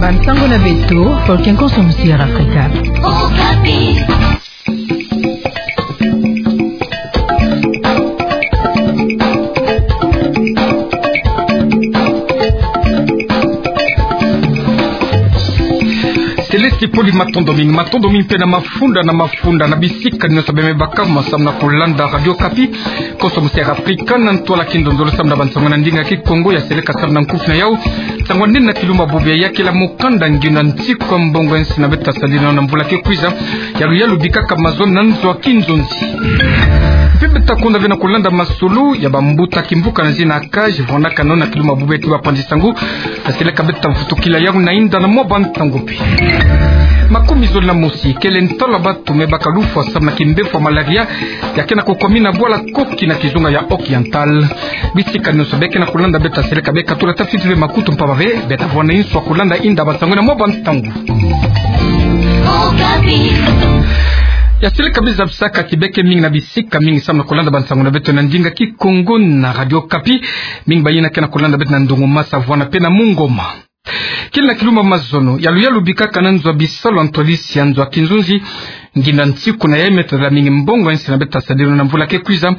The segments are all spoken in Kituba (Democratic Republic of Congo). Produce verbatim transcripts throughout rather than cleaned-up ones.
Bansango na beto, Paul Kenkonso, Musiara Afrika. Céleste Poli, matondo mingi, matondo mingi mpe na mafunda na mafunda na bisika nyonso bie me baka ma samu na kulanda Radio Okapi. Konso Musiara Afrika, na ntwala kinzonzolo samu na bansango na ndinga Kikongo ya seleka samu na nkufi na yau. Nsangu nene na kilumbu bubu ya kele mukanda ngiona nsiku ya mbongo ya nsi na beto tasadila na mvula ke kwiza. Yalu yalu bikaka mazono na nzo ya kinzonzi. Mpe beto takonda ve na kulanda masolo ya bambuta kimvuka na zina ACAJ, vwandaka nona kilumbu bubu ya ti bapanzi nsangu. Taseleka beto tavutukila yau na inda na mwa bantangu mpe. Makumi zole na mosi kele ntalo ya bato me baka lufwa samu na kimbevo ya malaria, ya ke na kukwami na bwala Koki na kizunga ya Oriental. Bisika nyonso bie ke na kulanda beto taseleka bie katula tafiti ve makutu mpamba ve, beto tavwanda inso ya kulanda inda bansangu na mwa bantangu. Ya seleka bie zabisaka ti bie ke mingi na bisika mingi samu na kulanda bansangu na beto na ndinga Kikongo na Radio Okapi. Mingi bayina ke na kulanda beto na Ndongomasa, Vuana mpe na Mungoma. Kele na kilumbu mazono, yalu yalu bikaka na nzo ya bisalu ya ntwadisi ya nzo ya kinzonzi. Ngiona nsiku na yai me tadila mingi mbongo ya nsi na beto tasadila na mvula ke kwiza.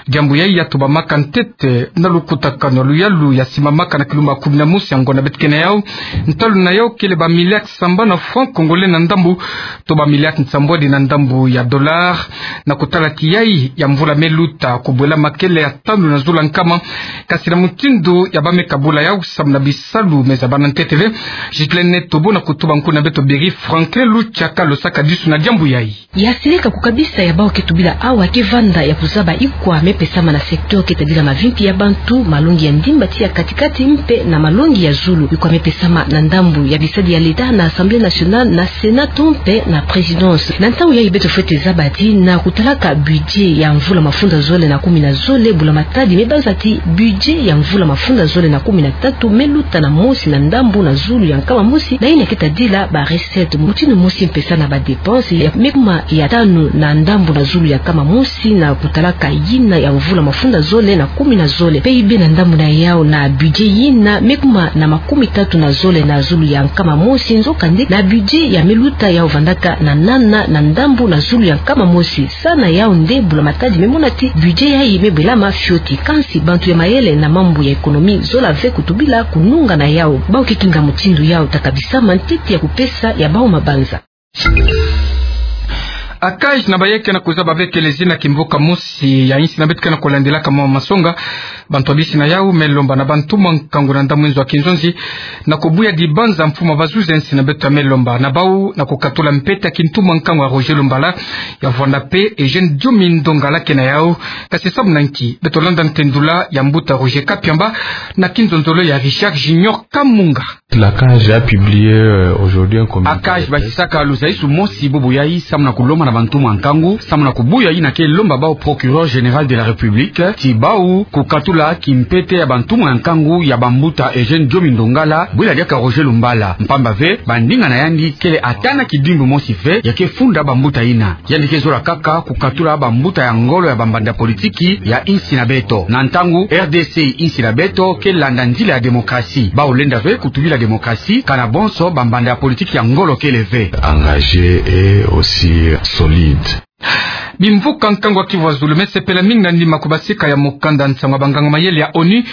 Diambu yai ya tobamaka ntete na lukutakanu ya yalu yalu ya simamaka na kilumbu kumi na mosi ya ngonda beto ke na yau. Ntalu na yau kele ba milliards sambanu ya francs congolais na ndambu, to ba milliards nsambwadi na ndambu ya dollars. Na kutala ti yai ya mvula me luta, kubwela ma kele ya tanu na zulu ya nkama. Kasi na mutindu ya bameka bula yau samu na bisalu me zabana ntete ve, Ghislaine Tobo na kutuba nkunga na beto Beri Franklin Luchaka losaka disu na diambu yai. Ya seleka kukabisa ya bau ke tubila awa ke vanda ya kuzaba ikwa me pesama na secteur ke tadila mavimpi ya bantu, malongi ya ndimba ti ya katikati mpe na malongi ya zulu. Ikwa me pesama na ndambu ya bisadi ya l'État na Assemblée nationale, na Sénat to mpe na Présidence. Na ntangu yai beto fwete zaba ti na kutalaka budget ya mvula mafunda zole na kumi na zole, bula matadi me banza ti budget ya mvula mafunda zole na kumi na tatu me luta na mosi na ndambu na zulu ya nkama mosi na yina ke tadila ba recettes. Mutindu mosi mpesa na ba dépenses ya me kuma ya tanu na ndambu na zulu ya nkama mosi na kutalaka yina ya mvula mafunda zole na kumi na zole. P I B na ndambu na yau na budget yina me kuma na makumi tatu na zole na zulu ya nkama mosi, nzokande na budget ya me luta yau vandaka na nana na ndambu na zulu ya nkama mosi. Sa na yau nde bula matadi me mona ti budget yai me bwelama fioti. Kansi bantu ya mayele na mambu ya économie zola ve kutubila kununga na yau. Bau ke kinga mutindu yau ta kabisama ntete ya kupesa ya bau mabanza. ACAJ na baye ke na kuzaba ve kele zina kimvuka mosi ya insi na beto ke na kulandilaka mwa masonga. Bantu ya bisi na yau me lomba na bantumwa nkangu na ndambu nzo ya kinzonzi na kubuya dibanza mfumu ya bazuzi ya insi na beto ya me lomba na bau na kukatula mpete ya kintumwa nkangu ya Roger Lumbala, ya vwanda mpe Eugène Diomi Ndongala ke na yau. Kasi samu na nki? Beto landa ntendula ya mbuta Roger Kapiamba na kinzonzolo ya Richard Junior Kamunga. La CAJ a publié, euh, aujourd'hui un communiqué. ACAJ basisaka luzaisu mosi bubu yai samu na kulomba na bantumwa nkangu, samu na kubuya yina ke lomba bau Procureur Général de la République ti bau kukatula kimpete ya bantumwa nkangu ya bambuta Eugène Diomi Ndongala, bwila diaka Roger Lumbala. Mpamba ve, bandinga na yandi kele ata na kidimbu mosi ve ya ke funda bambuta yina. Yandi ke zola kaka kukatula bambuta ya ngolo ya bambanda ya politiki ya insi na beto. Na ntangu R D C insi na beto ke landa nzila ya démocratie. Bau lenda ve kutubila démocratie kana bonso bambanda ya politiki ya ngolo kele ve. Engagé et aussi solide. Bimvuka nkangu ya Kivu ya Zulu me sepela mingi na ndima kubasika ya mukanda nsangu ya banganga mayele ya ONU,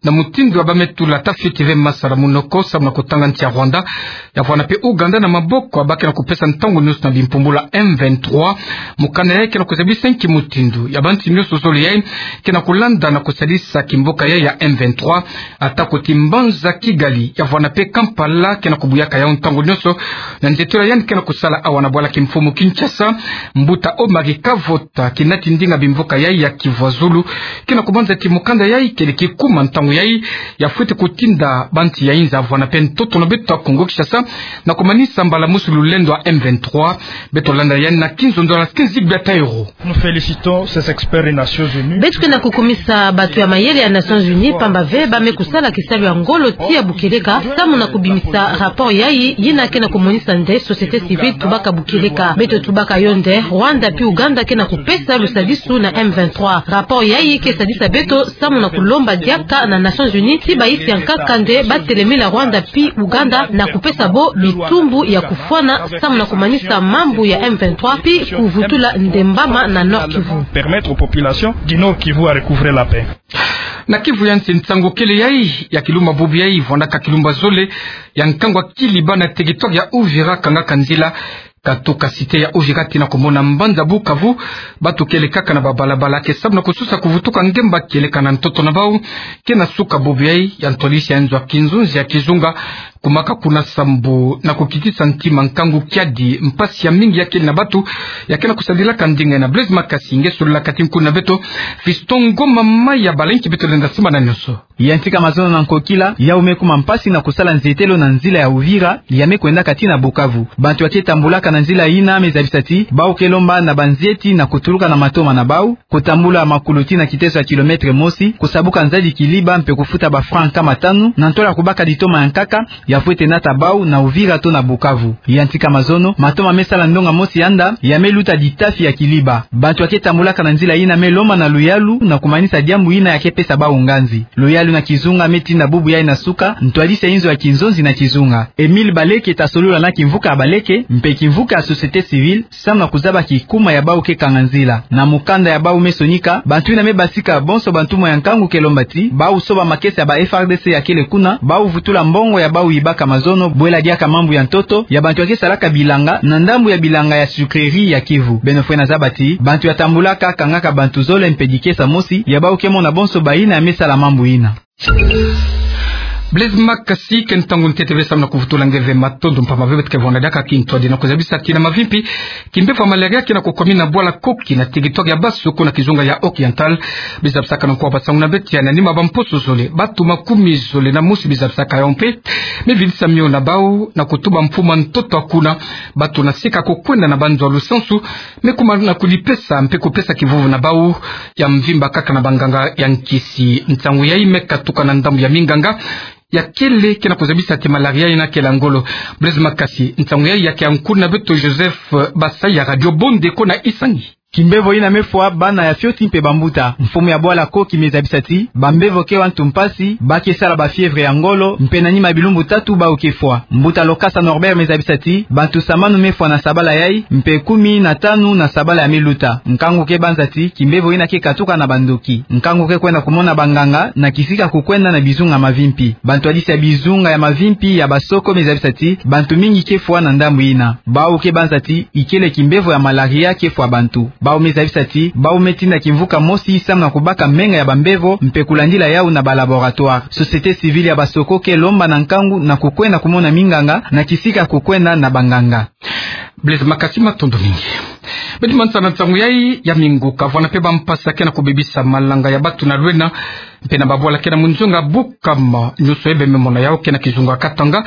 na mutindu ya ba me tula tafiti ve masala munoko samu na kutanga nsi ya Rwanda, ya vwanda mpe Ouganda na maboko ya ba ke na kupesa ntangu nyonso na bimpumbulu ya M vingt-trois. Mukanda yai ke na kuzabisa nki mutindu ya bansi nyonso zole yai ke na kulanda na kusadisa kimvuka yai ya M vingt-trois, ata kuti mbanza Kigali, ya vwanda mpe Kampala ke na kubuyaka yau ntangu nyonso, na nzietolo ya yandi ke na kusala awa na bwala kimfumu Kinshasa. Mbuta Omari Kavota, kinati ndinga bimvuka yai ya Kivu ya Zulu, ke na kubanza ti mukanda yai kele kikuma ntangu yai, ya fwete kutinda bansi ya inza vwanda mpe ntoto na beto ya Kongo Kinshasa na kumanisa mbala mosi lulendo ya M vingt-trois. Beto landa yandi na kinzonzolo ya Skinzig Biatairo. Nous félicitons ces experts des Nations Unies. Beto ke na kukumisa bato ya mayele ya Nations Unies, pamba ve ba me kusala kisalu ya ngolo tii ya bukeleka, samu na kubimisa rapport yai, yina ke na kumonisa nde société civile tubaka bukeleka. Beto tubaka yo nde Rwanda pi Ouganda ke na kupesa lusadisu na M vingt-trois. Rapport yai ke sadisa beto samu na kulomba diaka na Nations Unies, ti bayisi ya nkaka nde batelemi na Rwanda pi Uganda na kupesa bo bitumbu ya kufwana samu na kumanisa mambu ya M vingt-trois pi kuvutula ndembama na Nord-Kivu. Permettre aux populations du Nord-Kivu à recouvrer la paix. Na Kivu ya nsi, nsangu kele yayi ya kilumba bubu yayi vwandaka kilumba zole ya nkangu ya Kiliba na territoire ya Uvira kangaka nzila katuka cité ya Uvira tii na kumona mbanza Bukavu. Batu kele kaka na babalabala ke samu na kususa kuvutuka ngemba kieleka na ntoto na bau ke na suka bubu yayi ya ntwadisi ya nzo ya kinzonzi ya kizunga kumaka kuna sambu na kukitisa ntima nkangu kiadi mpasi ya mingi ya kele na batu ya ke na kusadilaka ndinga ina. Blaise Makasi nge sololaka ti nkuna beto Fiston Ngoma Maya, bala nki beto lenda simba na nyonso. Yantika mazono na nkokila, yau me kuma mpasi na kusala nzietelo na nzila ya Uvira, ya me kwendaka tii na Bukavu. Bantu ya ke tambulaka na nzila yina me zabisa ti bau ke lomba na banzieti na kutuluka na matoma na bau, kutambula makulu tii na kiteso ya kilomètre mosi, kusabuka nzadi Kiliba mpe kufuta ba francs nkama tanu, na ntwala kubaka ditoma ya nkaka, ya fwete nata bau na Uvira to na Bukavu. Yantika mazono, matoma me sala ndonga mosi yanda, ya me luta ditafi ya Kiliba. Bantu ya ke tambulaka na nzila yina me lomba na luyalu na kumanisa diambu yina ya ke pesa bau nganzi. Luyalu na kizunga me tinda bubu yayi na suka ntwadisi ya inzo ya kinzonzi na kizunga. Emile Baleke ta solola na kimvuka ya Baleke, mpe kimvuka ya société civile, samu na kuzaba kikuma ya bau ke kanga nzila. Na mukanda ya bau me sonika, bantu yina me basika bonso bantumwa ya nkangu ke lomba ti bau soba makesa ya ba F R D C ya kele kuna, bau vutula mbongo ya bau yibaka mazono, bwela diaka mambu ya ntoto ya bantu ya ke salaka bilanga na ndambu ya bilanga ya sucrerie ya Kivu. Beno fwena zaba ti bantu ya tambulaka kangaka bantu zole mpe dikesa mosi ya bau ke mona bonso bayina ya me sala mambu yina. Blaise Makasi, ke ntangu ntete ve samu na kuvutula nge ve matondo mpamba ve beto ke vwanda diaka kintwadi na kuzabisa ti na mavimpi, kimbevo ya malaria ke na kukwamina bwala Koki na territoire ya Basoko na kizunga ya Oriental. Bizabisaka na nkuwa basangu na beto ya na nima ba mposo zole, batu makumi zole na mosi bizabisaka yau mpe me vidisa mio na bau na kutuba mfuma ntoto ya kuna. Batu na sika kukwenda na banzo ya lusansu me kuma na kulipesa mpe kupesa kivuvu na bau ya mvimba kaka na banganga ya nkisi. Nsangu yayi me katuka na ndambu ya minganga ya kele ke na kuzabisa ti malaria yina kele ya ngolo. Blaise Makasi, nsangu yayi ya ke ya nkuna beto Joseph Basaya, Radio Bondeko na Isangi. Kimbevo yina me fwa bana ya fioti mpe bambuta. Mfumu ya bwala Koki me zabisa ti bambevo ke wa ntu mpasi, ba ke sala ba fièvre ya ngolo, mpe na nima bilumbu tatu bau ke fwa. Mbuta Lokasa Norbert me zabisa ti bantu samanu me fwa na sabala yayi, mpe kumi na tanu na sabala ya me luta. Nkangu ke banza ti kimbevo yina ke katuka na bandoki. Nkangu ke kwenda kumona banganga na kisika kukwenda na bizunga mavimpi. Bantwadisi ya bizunga ya mavimpi ya Basoko me zabisa ti bantu mingi ke fwa na ndambu yina. Bau ke banza ti ikele kimbevo ya malaria ke fwa bantu. Bau me zabisa ti bau me tinda kimvuka mosi samu na kubaka menga ya bambevo mpe kulandila yau na ba laboratoire. Société civile ya Basoko ke lomba na nkangu na kukwenda kumona minganga na kisika kukwenda na banganga. Blaise Makasi, matondo mingi. Beti mansa na nsangu yayi ya minguka, vwanda mpe bampasi ke na kubebisa malanga ya batu na Lwena mpe na babwala ke na munzonga Bukama, nyonso ebe me mona yau ke na kizunga Katanga.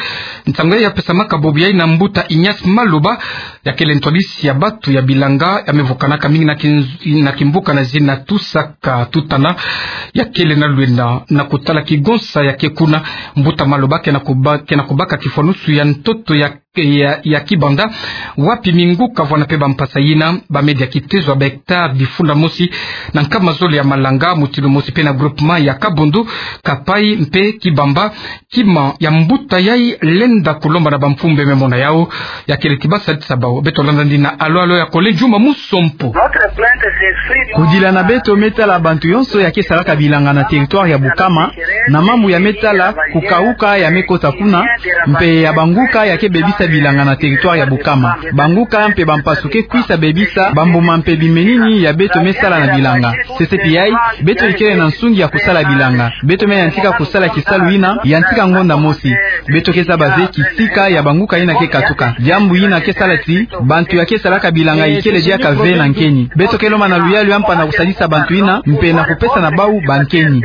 Nsangu yayi ya pesamaka bobo yayi na mbuta Ignace Maloba, ya kele ntwadisi ya batu ya bilanga, ya me vukanaka mingi na kinz-, na kimbuka na zina Tusaka Tutana, ya kele na Lwena, na kutala kigonsa ya ke kuna. Mbuta Maloba ke na kuba-, ke na kubaka kifwanusu ya ntoto ya ya, ya kibanda, wapi minguka vwanda mpe bampasi yina ba me dia kitezo ya ba hectare bifunda mosi na nkama zole ya malanga, mutindu mosi mpe na groupement ya Kabundu, Kapai mpe Kibamba. Kima ya mbuta yayi lenda kulomba na bamfumu be me mona yau, ya kele ti ba sadisa bau. Beto landa ndina alo alo ya Kole Juma Musompo. Kudila na beto me tala bantu yonso ya ke salaka bilanga na territoire ya Bukama, na mambu ya me tala kukauka ya me kota kuna, mpe ya banguka ya ke bebisa bilanga na territoire ya Bukama. Banguka mpe bampasi ke kwisa bebisa bambuma mpe bimenini ya beto me sala na bilanga. Sese pi yayi, beto ikele na nsungi ya kusala bilanga. Beto me yantika kusala kisalu yina, yantika ngonda mosi. Beto ke zaba ve kisika ya banguka yina ke katuka. Diambu yina ke sala ti bantu ya ke salaka bilanga ikele diaka ve na nkeni. Beto ke lomba na luyalu ya mpa na kusadisa bantu yina, mpe na kupesa na bau bankeni.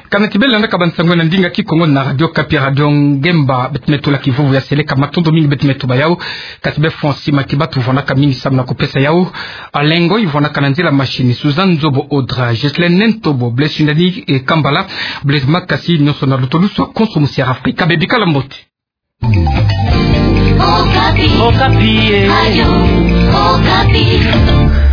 Kana ti bele landaka bansangu na ndinga Kikongo na Radio Okapi, Radio Ngemba. Beti me tula kivuvu ya seleka, matondo mingi beti me tuba yau. Kati be Fonsi Matibatu vwandaka mingi samu na kupesa yau. Alengo i vwandaka na nzila machine. Suzanne Nzobo Odra, Ghislaine Nentobo, Blaise Shindani, eh, Kambala, Blaise Makasi, nyonso na lutulusu ya Konso Musiara Afrika. Bebikala mbote. Okapi. Okapi, eh. Radio Okapi.